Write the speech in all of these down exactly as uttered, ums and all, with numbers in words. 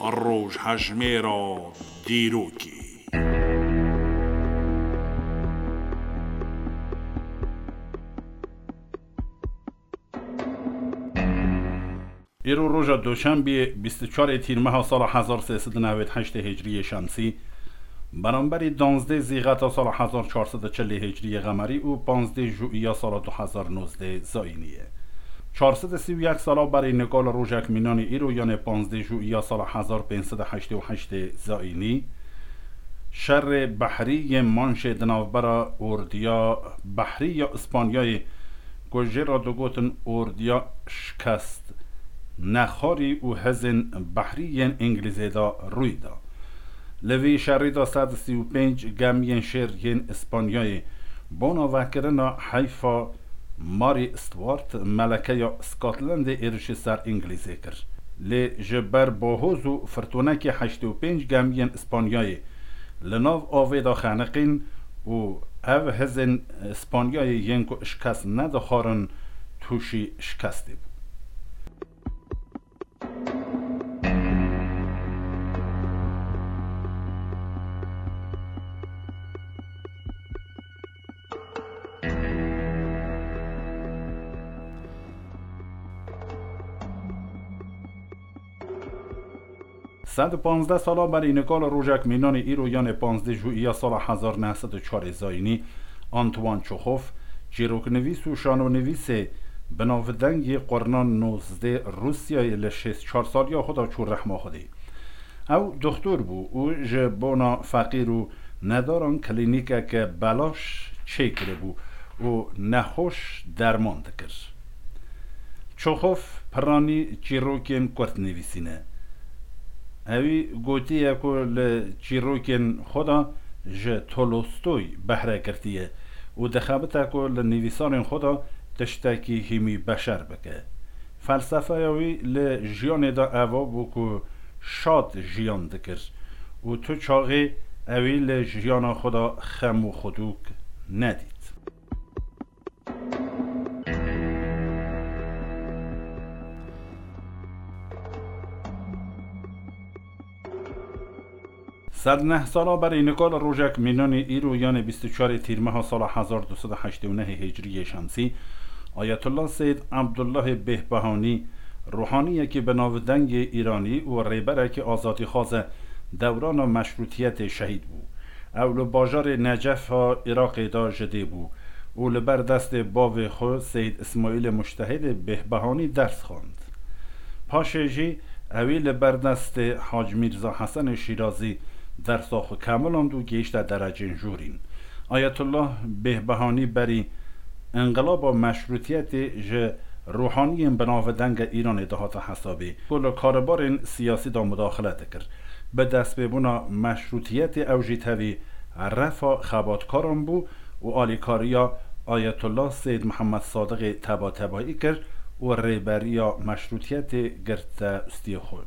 Rojhejmêra dîrokê. Îro roja Doşembiyê, bîst û çarê Tîrmeha sala hezar sê sed û newêd heştê Hicriyê Şemsî, beramberî danzdê Zîxeta sala hezar çar sed û çilê Hicriyê Qemerî û panzdê Juiya sala du hezar nozdê Zayînî ye. Çar sed û sî û yek sala berî nika li rojek mînanî îro, yanê panzdê Juiya sala hezar pênc sed û heştê û heştê Zayînî, şerê behrî yên Manşê di navbera ordiya behrî ya Îspanyayê, ku jê re digotin ordiya şikest nexwarî û hezên behrî yên Îngilîzê de rûy da. Li vî şerî de sed û sî û pênc gemiyên şêr yên Îspanyayê bona vekirina heyfa Mary Stuart, melekeya Scotlandê, êrişî ser Îngilîzê kir. Lê ji ber bahoz û firtûnekê heştê û pênc gemiyên Îspanyayê li nav avê de xeniqîn û ev hizên Îspanyayê yên ku şikest nedixwarin tûşî şikestê bû. Sed û panzdeh sala berî nika li rojek mînanî îro, yanê panzdeh Juiya sala hezar neh sed û çarê Zayînî, Antoine Çexov, çîroknivîs û şanonivîsê binavdeng yê qurnan nozdê Rûsyayê, li şêst çar saliya xwe de çû rehma Xwedê. Ew doxtor bû û ji bona feqîr û nedaran klînîkeke belaş çêkiribû û nexweş derman dikir. Çexov piranî çîrokên kurt nivîsîne. Ewî gotiye ku li çîrokên xwe de ji Tolstoy behre girtiye û dixebite ku li nivîsarên xwe de tiştekî hîmî beşer bike. Felsefeya wî li jiyanê de eva bû ku şad jiyan dikir û tu çaxê ewî li jiyana xwe de xem û xwedûk nedît. Sed neh sala berî nika li rojek mînanî îro, yanê bîst û çarê Tîrmeha sala hezar du sed û heştê û nehê Hicriyê Şemsî, Ayetullah Seyyid Abdullahê Bêhbehanî, ruhaniyekî binavdeng yê Îranî û rêberekî azadîxwaz e, dewrana meşrûtiyetê şehîd bû. Ew li bajarê Necef a Iraqê de ji dê bû û li ber destê bavê xwe Seyyid Îsmaîlê Mujtehidê Bêhbehanî ders xwend. Paşê jî ewî li ber destê Hac Mîrza Hesenê Şîrazî dersa xwe kemiland û gihişte derecên jorîn. Ayetullah Bêhbehanî berî înqilaba meşrûtiyetê ji ruhaniyên binavdeng a Îranê dihate hesabê, ku li karûbarên siyasî de mudaxile dikir. Bi destpêbûna meşrûtiyetê ew jî tevî refa xebatkaran bû û alîkariya Ayetullah Seyyid Mihemed Sadiqê tebatebayî kir û rêberiya meşrûtiyetê girte ustiyê xwe.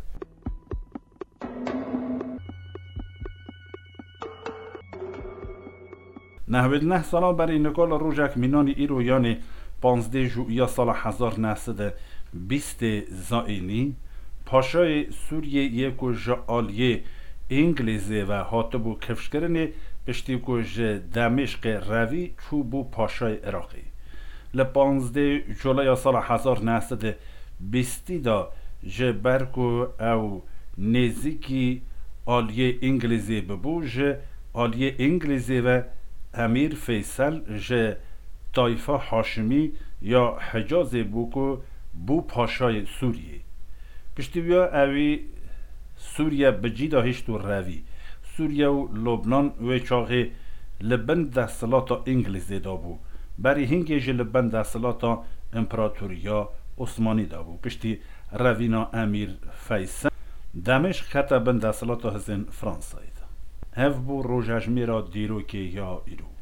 Nehwêd neh sala berî nika li rojek mînanî îro, yanê panzdeh Juiya sala hezar neh sed û bîstê Zayînî, Paşayê Sûriyê yê ku ji aliyê Îngilîzê ve hatibû kifşkirinê, piştî ku ji Demêşqê revî çûbû Paşayê Iraqê. Li panzdeh Culaya sala hezar neh sed û bîstî de, ji ber ku ew nêzîkî aliyê Îngilîzê bibû, ji aliyê Îngilîzê ve Emîr Feysel ji tayfa Haşimî ya Hicazê bû ku bû paşayê Sûriyê. Piştî wiya ewî Sûriye bi cî de hişt û revî. Sûriye û Lubnan wê çaxê li bin desthilata Îngilîzê de bû. Berî hingê jî li bin desthilata Împeratoriya Osmanî de bû. Piştî revîna Emîr Feysel, Demêşq kete bin desthilata hizên Fransayê de. Ev bû rojejmêra dîrokê ya îro.